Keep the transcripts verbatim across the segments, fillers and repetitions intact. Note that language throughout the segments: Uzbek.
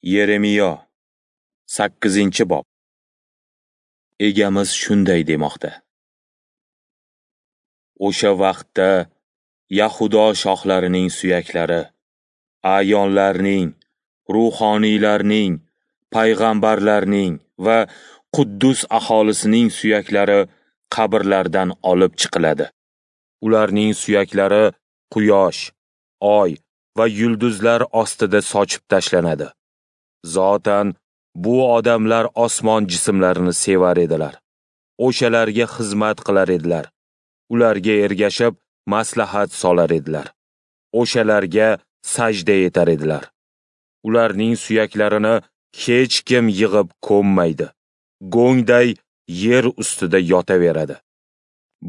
Yeremiyo, sakkizinchi bob. Egamiz shunday demoqda: O'sha vaqtda Yahudo shohlarining suyaklari, a'yonlarning, ruhoniylarning, payg'ambarlarning va Quddus aholisining suyaklari qabrlardan olib chiqiladi. Ularning suyaklari quyosh, oy va yulduzlar ostida sochib tashlanadi. Zotan bu odamlar osmon jismlarini sevar edilar. O'shalarga xizmat qilar edilar. Ularga ergashib maslahat solar edilar. O'shalarga sajda etar edilar. Ularning suyaklarini hech kim yig'ib ko'mmaydi. Go'ngday yer ustida yotaveradi.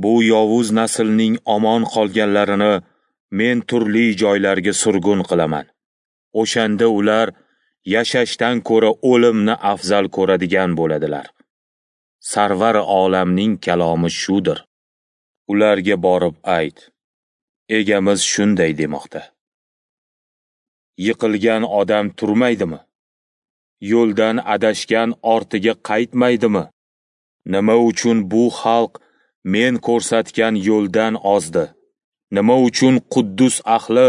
Bu yovuz naslning omon qolganlarini men turli joylarga surgun qilaman. O'shanda ular yashashdan ko'ra o'limni afzal ko'radigan bo'ladilar. Sarvar olamning kalomi shudir. Ularga borib ayt: Egamiz shunday demoqda: Yiqilgan odam turmaydimi? Yo'ldan adashgan ortiga qaytmaydimi? Nima uchun bu xalq men ko'rsatgan yo'ldan ozdi? Nima uchun Quddus ahli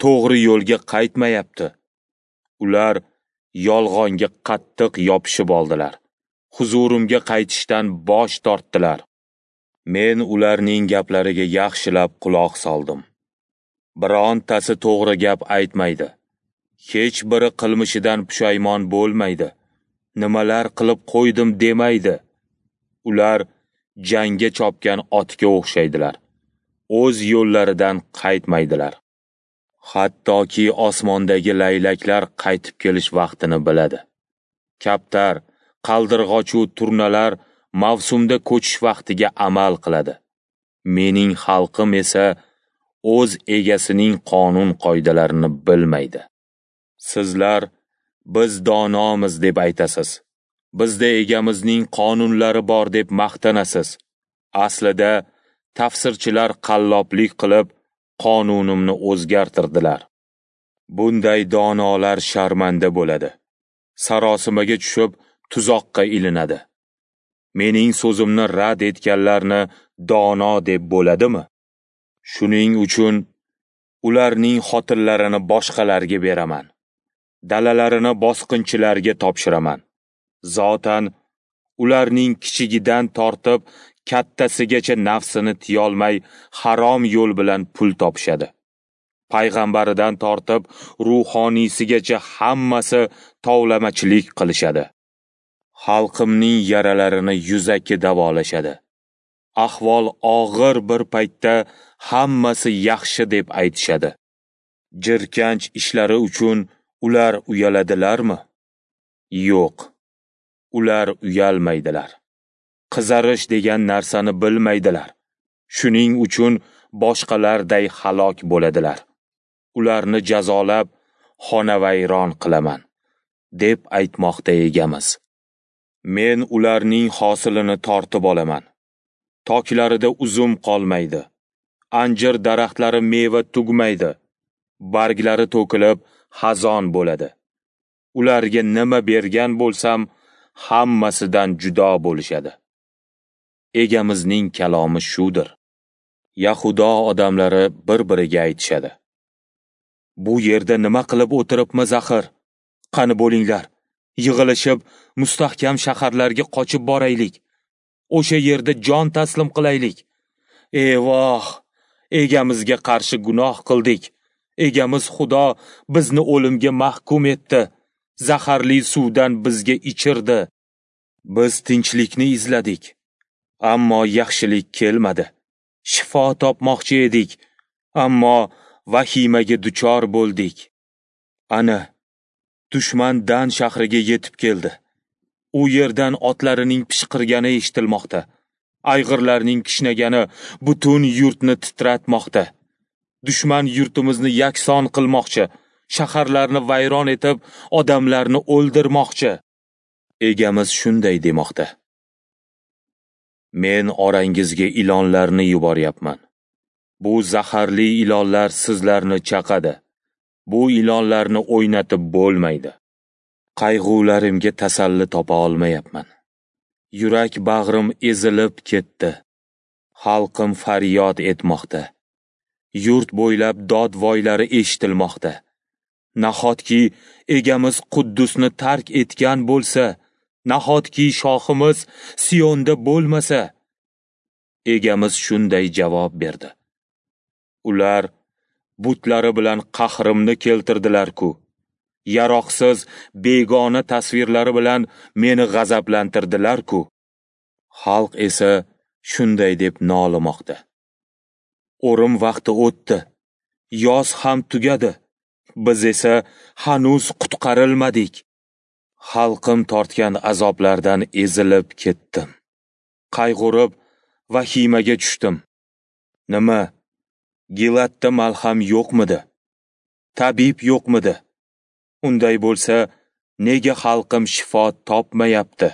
to'g'ri yo'lga qaytmayapti? Ular yolg'onga qattiq yopishib oldilar. Huzurimga qaytishdan bosh tortdilar. Men ularning gaplariga yaxshilab quloq soldim. Birontasi to'g'ri gap aytmaydi. Hech biri qilmishidan pushaymon bo'lmaydi. Nimalar qilib qo'ydim demaydi. Ular jangga chopgan otga o'xshaydilar. O'z yo'llaridan qaytmaydilar. Hattoki osmondagi laylaklar qaytib kelish vaqtini biladi. Kaptar, qaldirg'och-u turnalar mavsumda ko'chish vaqtiga amal qiladi. Mening xalqim esa o'z egasining qonun qoidalarini bilmaydi. Sizlar biz donomiz deb aytasiz. Bizda egamizning qonunlari bor deb maqtanasiz. Aslida tafsirchilar qalloblik qilib qonunimni o'zgartirdilar. Bunday donolar sharmanda bo'ladi. Sarosimaga tushib tuzoqqa ilinadi. Mening so'zimni rad etganlarni dono deb bo'ladimi? Shuning uchun ularning xotinlarini boshqalarga beraman. Dalalarini bosqinchilarga topshiraman. Zotan ularning kichigidan tortib kattasigacha nafsini tiyolmay harom yo'l bilan pul topishadi. Payg'ambaridan tortib ruhoniysigacha hammasi tovlamachilik qilishadi. Xalqimning yaralarini yuzaki davolashadi. Ahvol og'ir bir paytda hammasi yaxshi deb aytishadi. Jirkanch ishlari uchun ular uyaladilarmi? Yo'q. Ular uyalmaydilar. Qizarish degan narsani bilmaydilar. Shuning uchun boshqalarday halok bo'ladilar. Ularni jazolab, xonavayron qilaman, deb aytmoqda egamiz. Men ularning hosilini tortib olaman. Toklarida uzum qolmaydi. Anjir daraxtlari meva tugmaydi. Barglari to'kilib xazon bo'ladi. Ularga nima bergan bo'lsam, hammasidan judo bo'lishadi. Egamizning kalomi shudir. Yahudo odamlari bir-biriga aytishadi: Bu yerda nima qilib o'tiribmiz axir? Qani bo'linglar, yig'ilishib mustahkam shaharlarga qochib boraylik. O'sha yerda jon taslim qilaylik. Eyvoh, egamizga qarshi gunoh qildik. Egamiz Xudo bizni o'limga mahkum etdi. Zaharli suvdan bizga ichirdi. Biz tinchlikni izladik, ammo yaxshilik kelmadi. Shifo topmoqchi edik, ammo vahimaga duchor bo'ldik. Ana, dushman Dan shahriga yetib keldi. U yerdan otlarining pishqirgani eshitilmoqda. Ayg'irlarning kishnagani butun yurtni titratmoqda. Dushman yurtimizni yakson qilmoqchi, shaharlarni vayron etib, odamlarni o'ldirmoqchi. Egamiz shunday demoqda: Men orangizga ilonlarni yuboryapman. Bu zaharli ilonlar sizlarni chaqadi. Bu ilonlarni o'ynatib bo'lmaydi. Qayg'ularimga tasalli topa olmayapman. Yurak bag'rim ezilib ketdi. Xalqim faryod etmoqda. Yurt bo'ylab dod-voylari eshitilmoqda. Nahotki egamiz Quddusni tark etgan bo'lsa, nahotki shohimiz Siyonda bo'lmasa? Egamiz shunday javob berdi: Ular butlari bilan qahrimni keltirdilar-ku. Yaroqsiz begona tasvirlari bilan meni g'azablantirdilar-ku. Xalq esa shunday deb nolimoqda: O'rim vaqti o'tdi, yoz ham tugadi, biz esa hanuz qutqarilmadik. Xalqim tortgan azoblardan ezilib ketdim. Qayg'urib vahimaga tushdim. Nima, Gilatda malham yo'qmidi? Tabib yo'qmidi? Unday bo'lsa, nega xalqim shifo topmayapti?